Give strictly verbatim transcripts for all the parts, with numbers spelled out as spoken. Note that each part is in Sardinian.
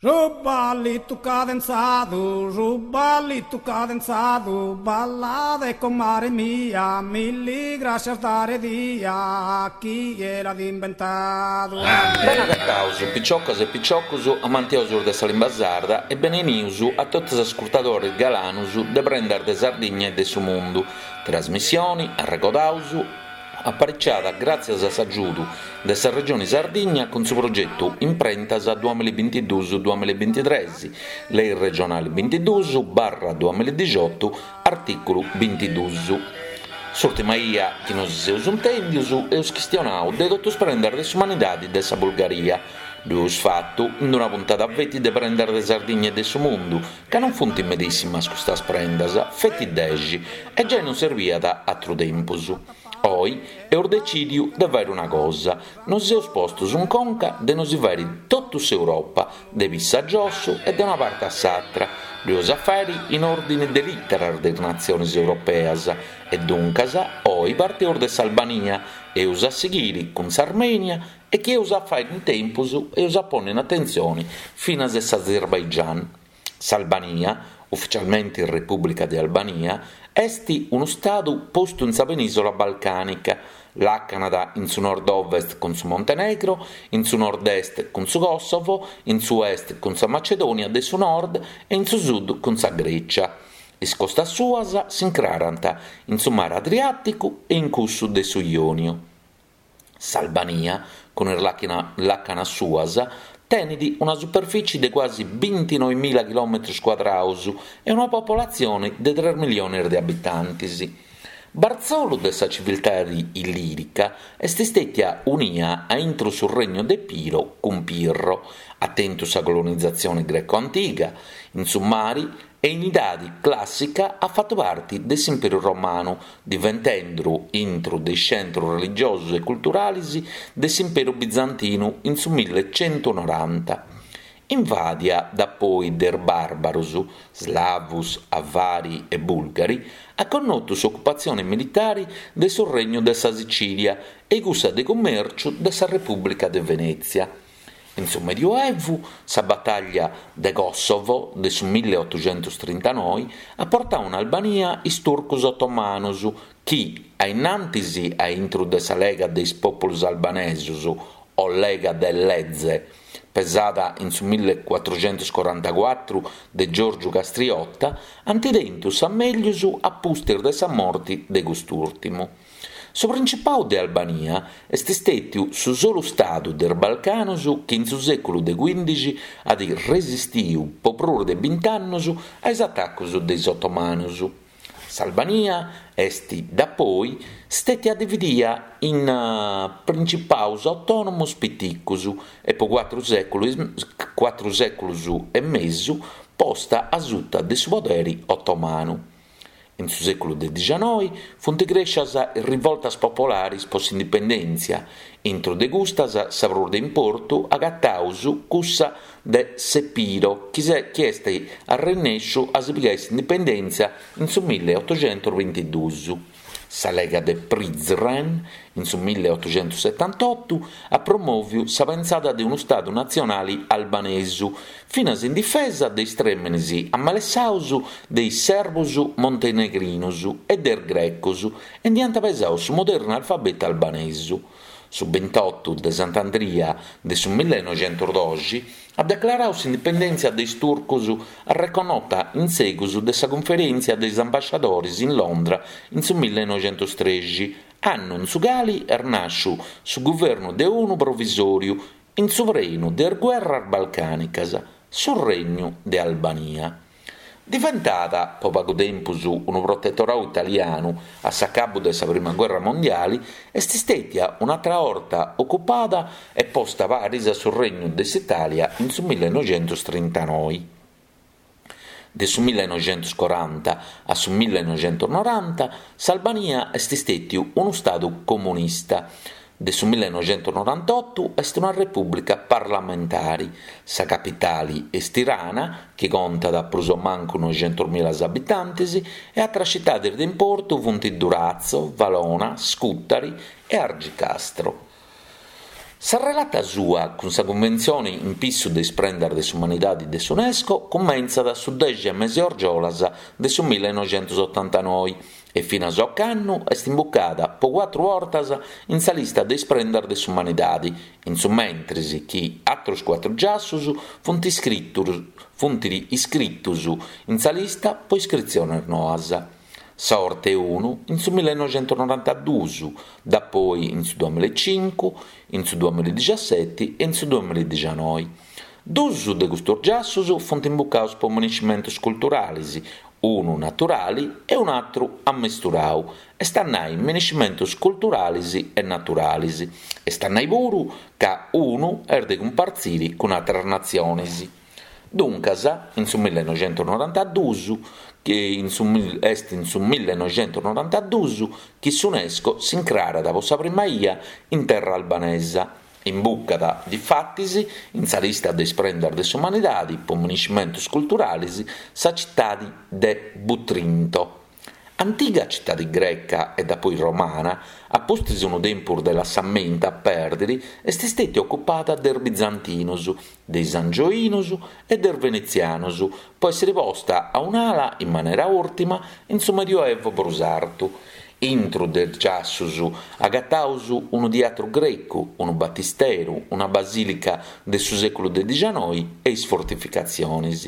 Su ballitu cadenzadu, su ballitu cadenzadu, ballade comare mia, milli grascias dare dia, chie l'at imbentadu. Bene agataus, piciocas e piciocus amantiosus de sa limba sarda e benenius a totus is ascurtadoris galanus de Prendas de Sardigna e de su Mundu, trasmissioni, arregodaus, apariciada gràtzias a s'agiudu de sa Regioni Sardigna cun su progetu Imprentas duamilla e bintiduus duamilla e bintitres, Lei regionali bintiduus barra duamilla e dixiotu, artìculu bintiduus. S'ùrtima 'ia chi nosi seus intèndius eus chistionau de totu is prendas de s'umanidadi de sa Bulgaria. Ddu eus fatu in una puntada feti de Prendas de Sardigna e de su Mundu, ca non funt medìssimas custas prendas, feti dexi, e giai non serbiat atru tempus. Oi eus decìdiu de fàere una cosa, nos seus postos in conca de nosi fàere totu s'Europa, de pissu a giossu e de una parte a s'atra. Ddu eus a fàere in òrdine de lìteras de is natziones europeas e duncas oi parteus de s'Albania, eus a sighire cun s'Armènia e chi eus a fàere in tempus eus a pònnere in atentzione finas s'Azerbaigian. S'Albania, ufficialmente Repùblica de Albania, est unu stadu postu in sa penìsola balcànica. Làcanat in su nord-ovest cun su Montenegro, in su nord-est cun su Kosovo, in su est cun sa Macedònia de su Nord e in su sud cun sa Grècia. Is costas suas s'incrarant in su mare Adriàticu e in cussu de su Iòniu. S'Albania, cun is làcanas suas, tenet una superfìtzie de cuasi bintinoe mila chilòmetros cuadrados e una popolatzione de tres milliones de abitantes. Bartzolu de sa civiltade illìrica est istètia unia a intro su Regnu de Epiro cun Pirro, at tentu sa colonizatzione greco-antiga in su mare e in idade clàssica at fatu parte de s'Imperu Romanu, diventende intro de is centros religiosos e culturales de s'Imperu Bizantinu in su millecentonoranta. Invàdia dapoi de is bàrbaros, slavos, avari e bulgari, at connotu s'ocupatzione militare de su Regnu de sa Sicìlia e cussa de cummèrciu de sa Repùblica de Venètzia. In su Medioevu, sa batalla de Kosovo de su milleotoxentostrintanoi at portadu in Albania is turcos otomanos chi, a in antis a intro de sa Lega de is Pòpulos Albanesos o Lega de Lezhë, pesada in su millecuatroxentoscorantacuatru de Giorgio Castriota, ant tentu sa mègius a pustis de sa morte de cust'ùrtimu. Su Principadu de Albania est istètiu su solu stadu de is Balcanos chi in su sèculu de cuìndixi at resistidu pro prus de bint'annos a is atacos de is otomanos. S'Albania est, dapoi, stètia dividia in principados autònomos piticos e pro cuatru sèculos cuatru sèculos e mesu posta a suta de su podere otomanu. In su sèculu de dixanoi funt crèscias is rivoltas populares pro s'indipendèntzia, intro de custas sa prus de importu agataus cussa de s'Epiro chi chi est arrennèsciu a si pigare s'indipendèntzia in su milleotoxentosbintiduus. Sa Lega de Prizren, in su milleotoxentosetantotto, at promòviu sa pensada de unu Stadu natzionale albanesu, finas in difesa de is trèmenes amalessados de is serbos montenegrinos e de is grecos e nd'ant pesadu su modernu alfabetu albanesu. Su bintotto de Sant'Andria de su millenoixentosdoxi at declaradu s'indipendèntzia de is turcos arreconnota in segus de sa Cunferèntzia de is ambasciadores in Londra in su millenoixentostrexi, annu in su cale est nàsciu su guvernu de unu provisòriu in su prenu de is guerras balcànicas, su Regnu de Albania. Diventada pro pagu tempus unu protetoradu italianu a s'acabu de sa Prima Guerra Mondiale, est istètia un'àtera 'orta ocupada e posta paris a su Regnu de s'Itàlia in su millenoixentostrintanoe. De su millenoixentoscoranta a su millenoixentonoranta s'Albania est istètiu unu stadu comunista. De su millenoixentonorantotto est una repùblica parlamentare. Sa capitale est Tirana, chi contat prus o mancu noixentos mila abitantes, e àteras citades de importu funt Durazzo, Valona, Scutari e Argicastro. Sa relata sua cun sa Cunventzione in pissu de is prendas de s'umanidade de s'UNESCO cumentzat su dexi mesi argiolas de su millenoixentosotantanoe e finas a ocannu est imbucada po cuatru bortas in sa lista de is prendas de s'umanidade, in su mentris chi àteros cuatru giassos funt iscritos funt iscritos in sa lista po iscritziones noas. Sa 'orta 'e unu in su millenoixentonorantaduos, dapoi in su duamillaecincu, in su duamilladixaseti e in su duamilladixanoe. Duos de custos giassos funt imbucados po minescimentos culturales, unu naturale e un'àteru ammesturadu, est a nai minescimentos culturales e naturales, est a nai puru ca unu est de cumpartzire cun àteras natziones. Duncas, in su millenoixentonorantaduos, chi in su est in su millenoixentonorantaduos chi s'UNESCO s'incrarat pro sa prima 'ia in terra albanesa. Imbucat, difatis, in sa lista de is prendas de s'umanidade po minescimentos culturales sa citade de Butrinto. Antiga citade greca e dapoi romana, a pustis unu tempus de lassamentu a pèrdere, est istètia ocupada de is bizantinos, de is angioinos e de is venetzianos, po èssere posta a un'ala in manera ùrtima in su Medioevo prus artu. Intro de is giassos agataus unu teatru grecu, unu batisteru, una basìlica de su sèculu de dixanoe e is fortificatziones.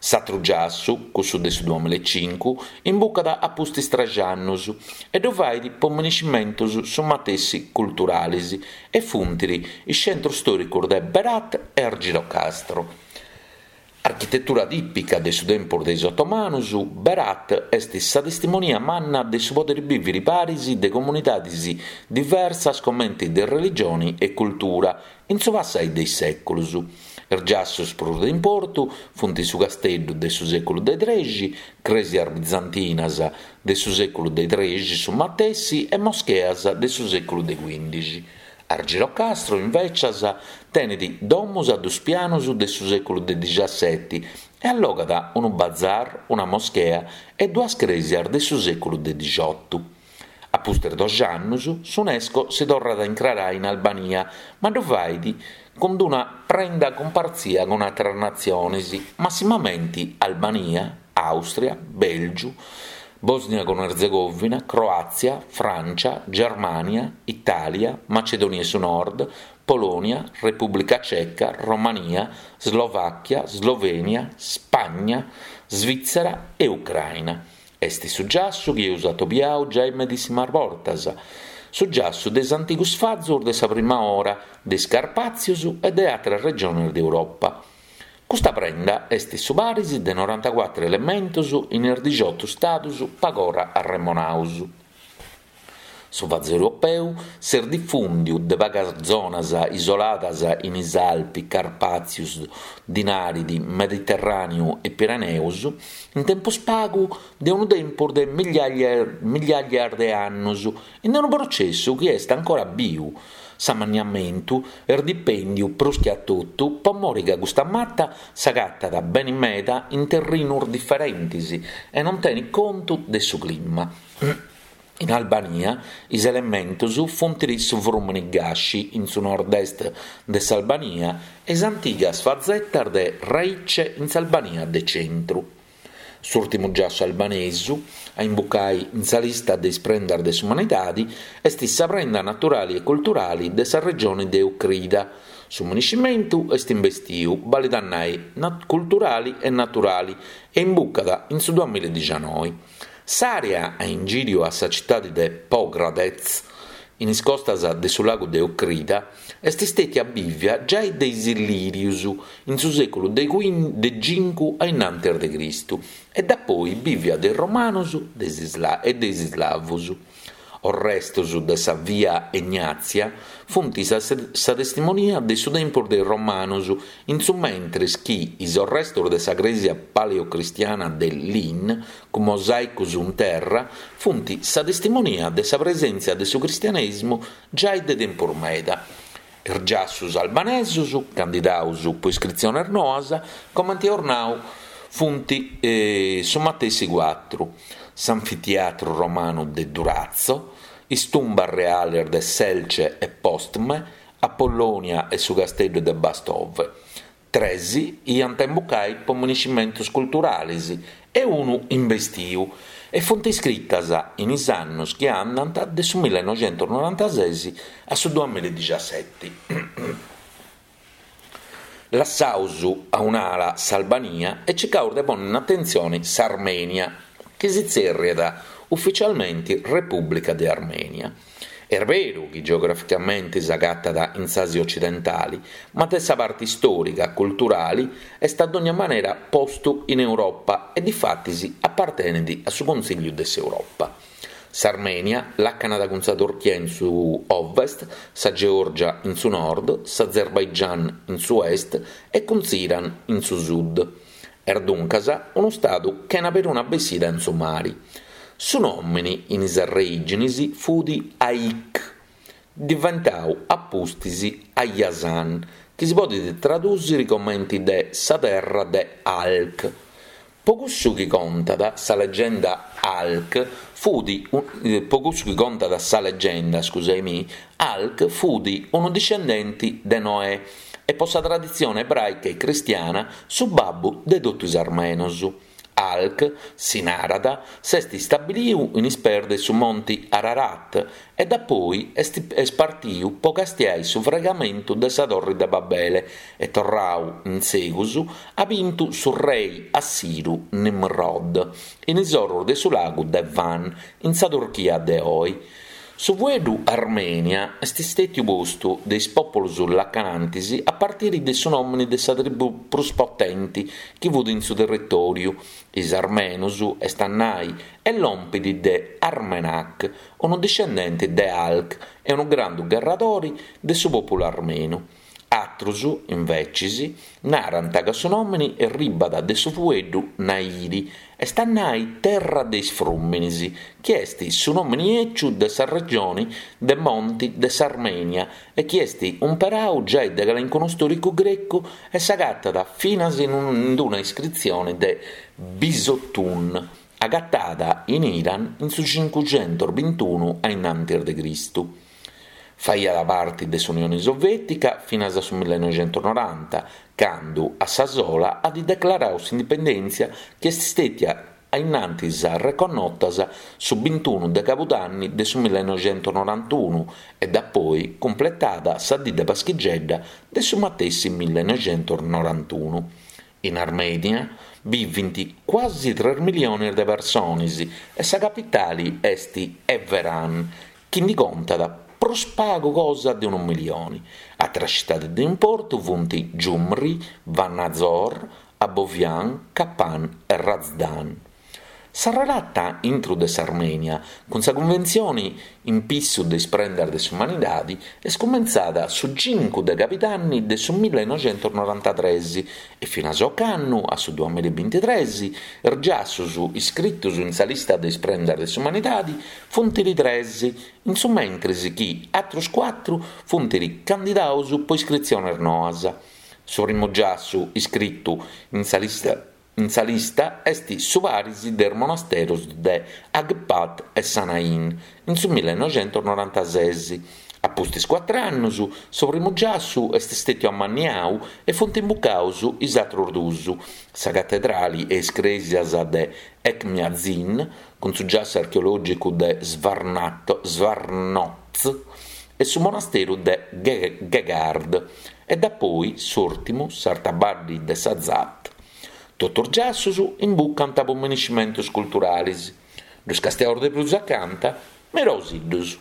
S'àteru giassu, cussu de su duamillaecincu, imbucat a pustis tres annos e ddu fait po minescimentos su matessi culturales e funt is centros stòricos de Berat e Argirocastro. Architetura tìpica de su tempus de is otomanos, Berat est sa testimonia manna de su podere bìvere paris de comunidades diversas comente de religione e cultura in su passare de is sèculos. Is giassos prus de importu funt su casteddu de su sèculu de trexi, crèsias bizantinas de su sèculu de trexi su matessi e moscheas de su sèculu de quindixi. Argirocastro, invecias, tenet domos a duos pianos de su sèculu de dixaseti e allogat unu bazar, una moschea e duas crèsias de su sèculu de dixotu. A pustis doxi annos, s'UNESCO si torrat a incrarare in Albania, ma ddu fait cun una prenda cumpartzia cun àteras natziones, massimamente Albania, Àustria, Bèlgiu, Bòsnia cun Erzegovina, Croàtzia, Frància, Germània, Itàlia, Macedònia 'e su Nord, Polònia, Repùblica Ceca, Romania, Slovàchia, Slovènia, Spagna, Svìtzera e Ucraina. Est su giassu chi eus atobiadu giai medìssimas bortas, su giassu de is antigos fazos de sa prima ora, de is Carpàtzios e de àteras regiones de Europa. Custa prenda est su paris de norantacuatro elementos in is dixoto stados pagora arremonados. Su vasu europeu s'est difùndidu de pagas zonas isoladas in is Alpi, Carpàtzios, Dinàridi, Mediterràneu e Pireneos, in tempus pagu de unu tempus de migliàrias de annos, in unu protzessu chi est ancora biu. S'ammanniamentu est dipèndidu prus che a totu pro more ca custa mata s'agatat bene meda in terrinos diferentes e non tenet contu de su clima. In Albania is elementos funt su frùmene Gashi in su nord-est de s'Albania e is antigas fazetas de Raice in s'Albania de centru. S'ùrtimu giassu albanesu a imbucare in sa lista de is prendas de s'umanidade est sa prenda naturale e culturale de sa regione de Ocrida. Su minescimentu est imbestidu, balet a nai culturale e naturale, e imbucat in su duamilladixanoe. S'àrea a ingìriu a sa citade de Pogradec, in is costas de su lagu de Ocrida, est istètia bìvia giai de is Illìrios in su sèculu de de cincu a innantis de Cristu e dapoi bìvia de is Romanos e de is Islavos. Os restos de sa via Egnazia funt sa, sa testimonia de su tempus de is Romanos, in su mentres chi is restos de sa crèsia paleocristiana de Lin, cun mosàicos in terra, funt sa testimonia de sa presèntzia de su cristianèsimu giai de tempus meda. Is giassos albanesos, candidados pro iscritziones noas, comente eus nau, funt eh, su matessi cuatru. S'anfiteatru romanu de Durazzo, is tumbas reales de Selce e Postme, Apollonia e su casteddu de Bastove. Tres iant a imbucai po minescimentus culturalis e unu imbestiu, e funt iscritas in is annus chi andant de su millinoixentusnorantases a su duamilla e dixiaseti. Lassaus a un'ala s'Albania e circaus de pònnere in atentzione s'Armènia, chi si tzèrriat ufitzialmente Repùblica de Armènia. Est beru chi geograficamente s'agatat in s'Àsia otzidentale, ma de sa parte istòrica culturale est a dogna manera postu in Europa e difatis apartenet a su Consìgiu de s'Europa. S'Armènia làcanat cun sa Turchia in su ovest, sa Geòrgia in su nord, s'Azerbaigian in s'est e cun s'Iran in su sud. Est duncas unu istadu chena peruna bessida in su mare. Su nòmine in is arrèigines fut Hayk, diventadu a pustis Hayastan, chi si podet tradùere comente de sa terra de Alk. Pro cussu chi contat sa legenda Alk fut pro cussu chi contat sa legenda, scusami, Alk fut unu discendente de Noè e pro sa traditzione ebràica e cristiana su babbu de totu is armenos. Alk, si narat, s'est istabilidu in is pees de su monte Ararat e dapoi est, est partidu pro castiare su fraigamentu de sa Torre de Babele e torradu in segus at bintu su re assiru Nimrod in is oros de su lagu de Van, in sa Turchia de oe. Su fueddu Armènia est istètiu postu de is pòpulos lacanantes a partire de su nòmine de sa tribù prus potente chi fut in su territòriu, is Armenos, est a nai, e lompit de Armenak, unu discendente de Alk e unu grandu gherradore de su pòpulu armenu. Àteros, imbetzes, narant ca su nòmine arribat de su fueddu Nairi, est a nai terra de is frùmenes, chi est su nòmine eciu de sa regione de Monte de s'Armènia e chi est imperadu giai de calincunu istòricu grecu e s'agatat finas in una iscritzione de Bisotun, agatada in Iran in su cincucentosbintunu a innantis de Cristu. Faiat parte de s'Unione Soviètica finas a su millinoixentusnoranta, cando a sa sola at declaradu s'indipendèntzia chi est istètia a innantis reconnota su bintunu de Cabudanni de su millinoixentusnorantunu e dapoi cumpletada sa die de Paschigedda de su matessi millinoixentusnorantunu. In Armènia bivent quasi tres miliones de persones e sa capitale est Yerevan, chi nde contat prus pagu cosa de unu milione. Àteras tzitades de importu sunt Gyumri, Vanadzor, Abovian, Kapan e Razdan. Sa relata intro de s'Armènia cun sa Cunventzione in pissu de is prendas de s'umanidade est cumentzada su cincu de Cabidanni de su millinoixentusnorantatrès e finas a ocannu, a su duamilla e bintitrès, is giassos iscritos in sa lista de is prendas de s'umanidade funt tres, in su mentres chi àteros cuatru funt candidados pro iscritziones noas. Su primu giassu iscritu in sa lista In sa lista est su paris de is monasteros de Haghpat e Sanahin, in su millinoixentusnorantases. A pustis cuatru annos, su primu giassu est istètiu ammanniadu e funt imbucados is àteros duos, sa catedrale e is crèsias de Echmiadzin, cun su giassu archeològicu de Zvartnots e su monasteru de Geghard, e dapoi s'ùrtimu, s'Artabadde de Sazat. Totu is giassos imbucant pro minescimentos culturales. Ddus castiaus de prus acanta, mirausiddus.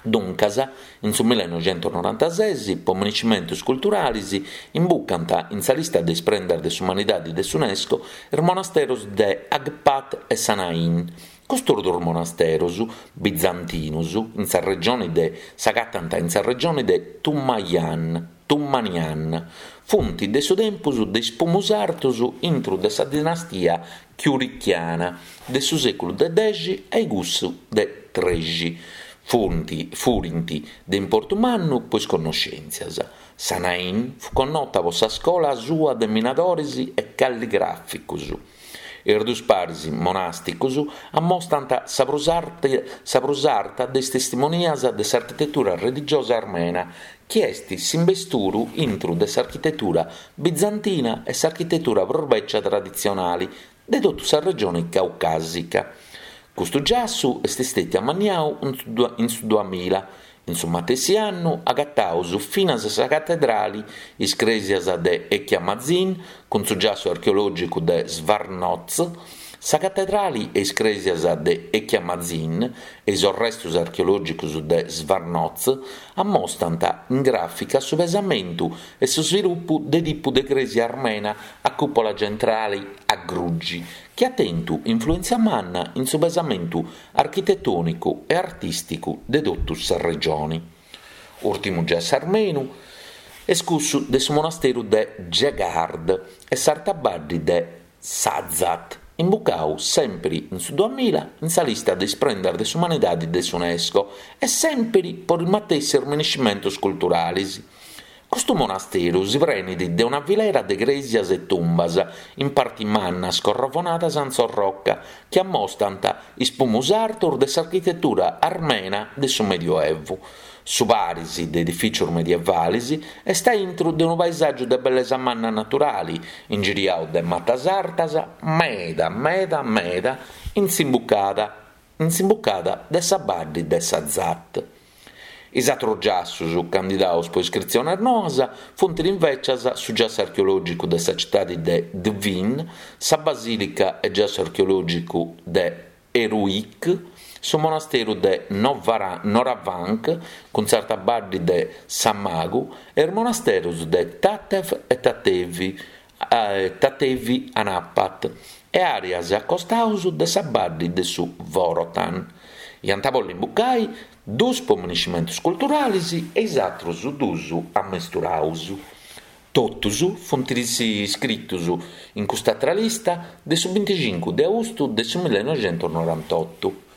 Duncas, in su millinoixentusnorantases, pro minescimentos culturales, imbucant in sa lista de is prendas de s'umanidade de s'UNESCO is monasteros de Haghpat e Sanahin. Custos duos monasteros bizantinos in sa regione de s'agatant in sa regione de Tumayan, Tumanian. Funt de su tempus de is primos sartos intro de sa dinastia chiurichiana de su sèculu de dexi a cussu de trexi. Funt, furint de importu mannu pro is connoschèntzias. Sanahin fu connota pro sa scola sua de minadores e calligràficos. Is duos paris monàsticos ammostant sa prus, arte, sa prus arta de is testimonias de s'architetura religiosa armena, chi est s'imbesturu intru de s'architetura bizantina e s'architetura prus bècia traditzionale de totu sa regione caucàsica. Custu giassu est istètiu ammaniadu in su duamilla. In su matessi annu agatamus finas sa catedrale, is crèsias de Echmiadzin cun su giassu archeològicu de Zvartnots, sa catedrale e is crèsias de Echmiadzin e is restos archeològicos de Zvartnots ammostrant in gràfica su pesamentu e su svilupu de tipu de crèsia armena a cùpula tzentrale a grugi, chi at tentu influèntzia manna in su pesamentu architetònicu e artìsticu de totu sa regione. Ùrtimu giassu armenu est cussu de su monasteru de Geghard e s'arta badde de Sazat, imbucadu semper in su duamilla in sa lista de is prendas de s'umanidade de s'UNESCO e semper pro is matessi minescimentos culturales. Custu monasteru si prenet de una filera de crèsias e tumbas, in parte mannas corrovonadas in s'orroca, chi ammostrant is primos artos de s'architetura armena de su Medioevu. Su paris de edifìtzios medievales est a intro de unu paesàgiu de bellesa manna naturale, ingiriadu de matas artas, meda, meda, meda, in s'imbucada, in s'imbucada de sa badde de Sazat. Is àteros giassos candidados pro iscritziones noas funt invècias su giassu archeològicu de sa tzitade de Dvin, sa basìlica e giassu archeològicu de Eruik, su monasteru de Noravank cun s'arta badde de Samagu e is monasteros de Tatev e Tatevi, eh, Tatevi Anapat e àreas acostados de sa badde de su Vorotan. Iant a bolli imbucai duos po minescimentos culturales e is àteros duos ammesturados. Totus funt iscritos in custa lista de su binticincu de austu de su millenoixentonorantotto.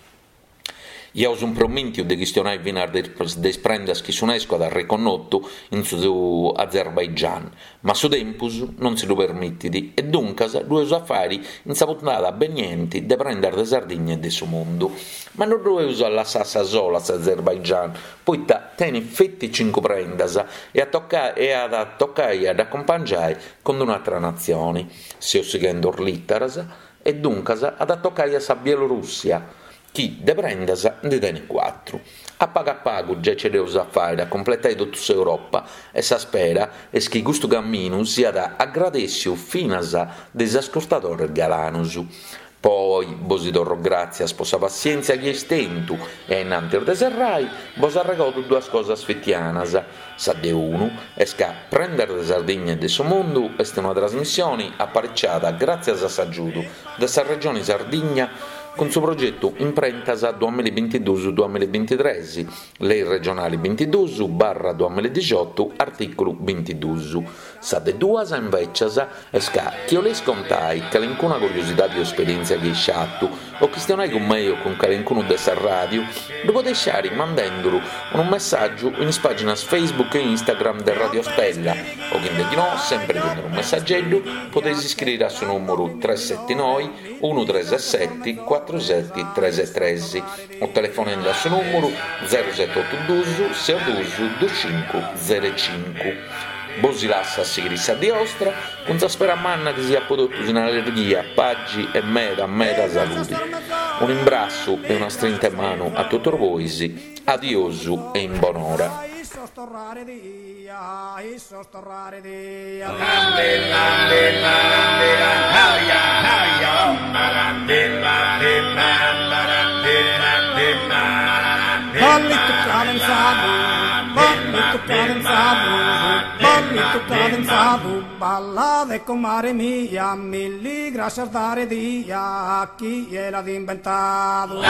Iaus impromìntiu de chistionai finas de is prendas chi s'UNESCO at reconnotu in su Azerbaigian, ma su tempus non si lu permitit e duncas ddu eus a fàere in sa puntada beniente de Prendas de Sardigna e de su mundu. Ma non ddu eus a lassare a sa sola s'Azerbaigian, poita tenet feti cincu prendas e at a tocai a dd'acumpangiare cun un'àtera natzione. Seus sighende is lìteras e duncas at a tocai a sa Bielorussia, chi de prendas nde tenet cuatru. A pagu a pagu già ce dd'eus a fàere a completare totu s'Europa e sa spera est chi custu camminu siat agradèssiu finas de is ascurtadores galanos. Poi bos torro gràtzias pro sa passièntzia chi eis tentu e innantis de serrai bos arregodo duas cosas fitianas. Sa de unu est ca Prendas de Sardigna e de su Mundu est una trasmissione apariciada gràtzias a s'agiudu de sa Regione Sardigna cun su progetu Imprentas duamillabintiduus duamillabintitres, Lei regionale bintiduus barra duamilladixotu, artìculu bintiduus. Sa de duas, invècias, est ca chi 'oleis contai calincuna curiosidade o esperièntzia chi eis fatu, o chistionai cun mei o cun calincunu de sa ràdiu, ddu podeis fàere mandenduru unu messàgiu in is pàginas Facebook e Instagram de Radio Stella, o chi no, sempre cun unu messageddu, podeis iscriere a su nùmeru tres sete noe unu tres sete cuatru sete tres tres o telefonende a su nùmeru zero sete otu duus ses duus duus cincu zero cincu. Bos lasso a sighire sa die ostra cun sa spera manna chi siat po totus in allegria, pagi e meda meda salude. Un imbrassu e una strinta 'e manu a totus bois. Adiosu e in bonora. Torrare dia, issos torrare dia. Ballito cadenzado, ballito cadenzado, ballito cadenzado, balla de comare mia, milli gracias dare dia, chi l'ha inventado.